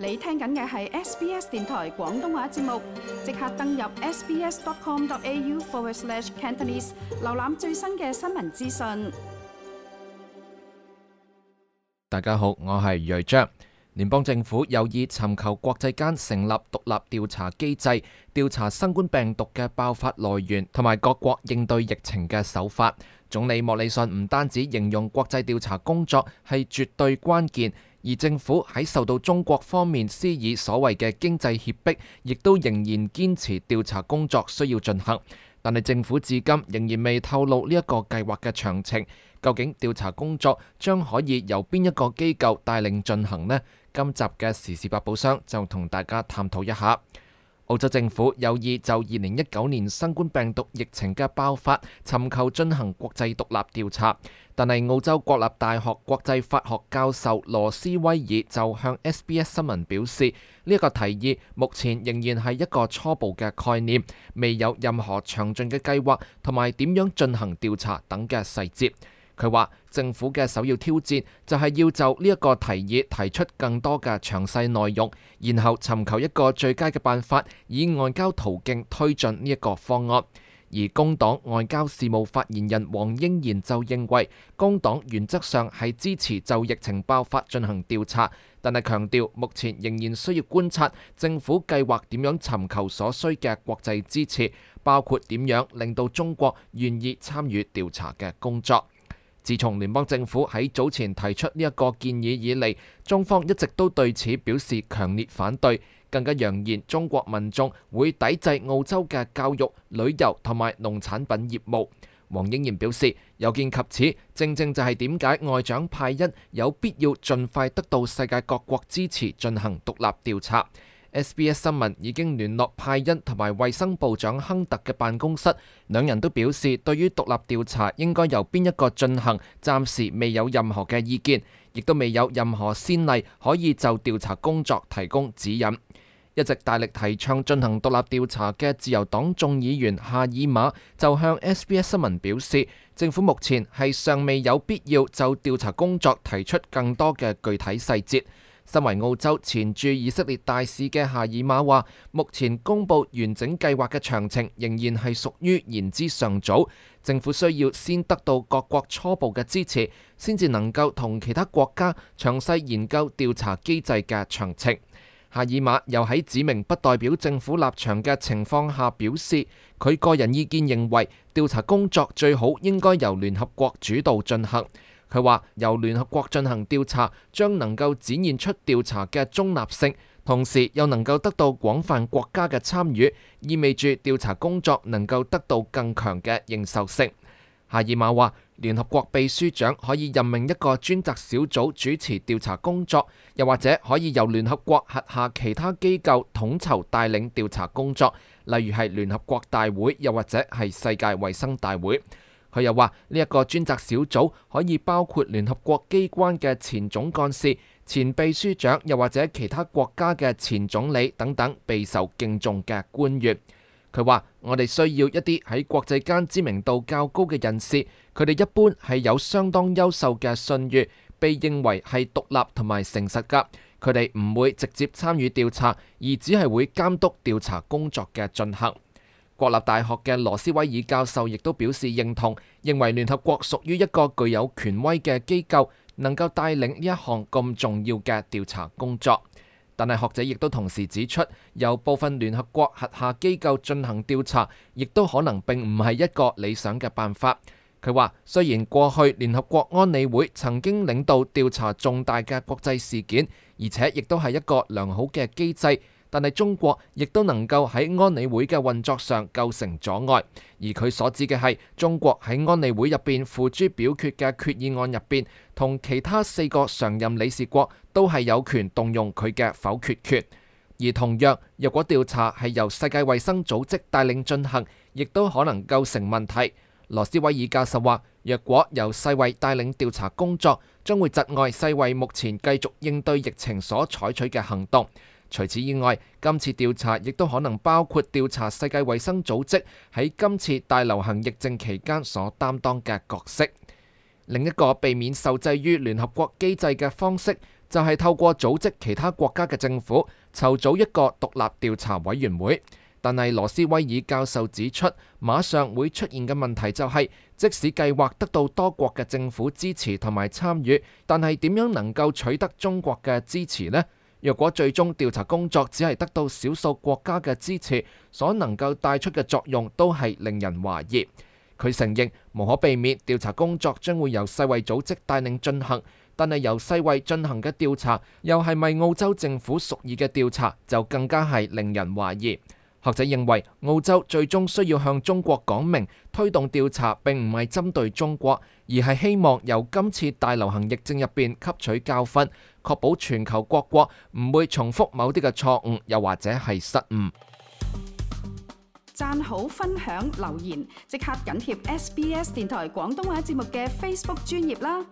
你聽緊嘅係 SBS 電台廣東話節目，即刻登入 sbs.com.au/Cantonese 瀏覽最新嘅新聞資訊。大家好，我係睿章。聯邦政府有意尋求國際間成立獨立調查機制，調查新冠病毒嘅爆發來源同埋各國應對疫情嘅手法。總理莫里遜唔單止形容國際調查工作係絕對關鍵，而政府喺受到中國方面施以所謂嘅經濟脅迫，亦都仍然堅持調查工作需要進行。但係政府至今仍然未透露呢一個計劃嘅詳情。究竟調查工作將可以由邊一個機構帶領進行呢？今集嘅時事百寶箱就同大家探討一下。澳洲政府有意就2019年新冠病毒疫情嘅爆發尋求進行國際獨立調查，但係澳洲國立大學國際法學教授羅斯威爾就向 SBS 新聞表示，呢一個提議目前仍然係一個初步嘅概念，未有任何詳盡嘅計劃同埋點樣進行調查等嘅細節。佢話政府嘅首要挑戰就係要就呢一個提議提出更多嘅詳細內容，然後尋求一個最佳嘅辦法，以外交途徑推進呢一個方案。而工黨外交事務發言人黃英賢就認為，工黨原則上係支持就疫情爆發進行調查，但係強調目前仍然需要觀察政府計劃點樣尋求所需嘅國際支持，包括點樣令到中國願意參與調查嘅工作。自從聯邦政府喺早前提出呢一個建議以嚟，中方一直都對此表示強烈反對，更加揚言中國民眾會抵制澳洲嘅教育、旅遊同埋農產品業務。黃英賢表示，有見及此，正正就係點解外長派恩有必要盡快得到世界各國支持進行獨立調查。SBS 新聞已經聯絡派恩同埋衛生部長亨特嘅辦公室，兩人都表示對於獨立調查應該由邊一個進行，暫時未有任何嘅意見，亦都未有任何先例可以就調查工作提供指引。一直大力提倡進行獨立調查嘅自由黨眾議員夏爾馬就向 SBS 新聞表示，政府目前係尚未有必要就調查工作提出更多嘅具體細節。身為澳洲前駐以色列大使嘅夏爾馬話，目前公布完整計劃嘅詳情仍然係屬於言之尚早，政府需要先得到各國初步嘅支持，先至能夠同其他國家詳細研究調查機制嘅詳情。夏爾馬又喺指明不代表政府立場嘅情況下表示，佢個人意見認為調查工作最好應該由聯合國主導進行。佢話由聯合國進行調查，將能夠展現出調查嘅中立性，同時又能夠得到廣泛國家嘅參與，意味住調查工作能夠得到更強嘅認受性。夏爾馬話，聯合國秘書長可以任命一個專責小組主持調查工作，又或者可以由聯合國轄下其他機構統籌帶領調查工作，例如係聯合國大會，又或者係世界衛生大會。佢又話呢一個專責小組可以包括聯合國機關嘅前總幹事、前秘書長，又或者其他國家嘅前總理等等備受敬重嘅官員。佢話我哋需要一啲喺國際間知名度較高嘅人士，佢哋一般係有相當優秀嘅信譽，被認為係獨立同埋誠實㗎。佢哋唔會直接參與調查，而只係會監督調查工作嘅進行。國立大學嘅羅斯威爾教授亦都表示認同，認為聯合國屬於一個具有權威嘅機構，能夠帶領呢一項咁重要嘅調查工作。但係學者亦都同時指出，由部分聯合國轄下機構進行調查，亦都可能並唔係一個理想嘅辦法。佢話，雖然過去聯合國安理會曾經領導調查重大嘅國際事件，而且亦都係一個良好嘅機制，但係中國亦都能夠喺安理會嘅運作上構成阻礙，而佢所指嘅係中國喺安理會入邊付諸表決嘅決議案入邊，同其他4個常任理事國都係有權動用佢嘅否決權。而同樣，若果調查係由世界衛生組織帶領進行，亦都可能構成問題。羅斯威爾教授話，若果由世衛帶領調查工作，將會窒礙世衛目前繼續應對疫情所採取嘅行動。除此以外，今次調查亦都可能包括調查世界衛生組織喺今次大流行疫症期間所擔當嘅角色。另一個避免受制於聯合國機制嘅方式，就係透過組織其他國家嘅政府，籌組一個獨立調查委員會。但係羅斯威爾教授指出，馬上會出現嘅問題就係，即使計劃得到多國嘅政府支持同埋參與，但係點樣能夠取得中國嘅支持呢？若果最終調查工作只係得到少數國家嘅支持，所能夠帶出嘅作用都係令人懷疑。佢承認無可避免調查工作將會由世衛組織帶領進行，但係由世衛進行嘅調查又係咪澳洲政府屬意嘅調查，就更加係令人懷疑。學者認為澳洲最終需要向中國講明，推動調查並唔係針對中國，而係希望由今次大流行疫症入邊吸取教訓，確保全球各國唔會重複某啲嘅錯誤，又或者係失誤。讚好、分享、留言，即刻緊貼SBS 電台廣東話節目嘅 Facebook 專頁啦！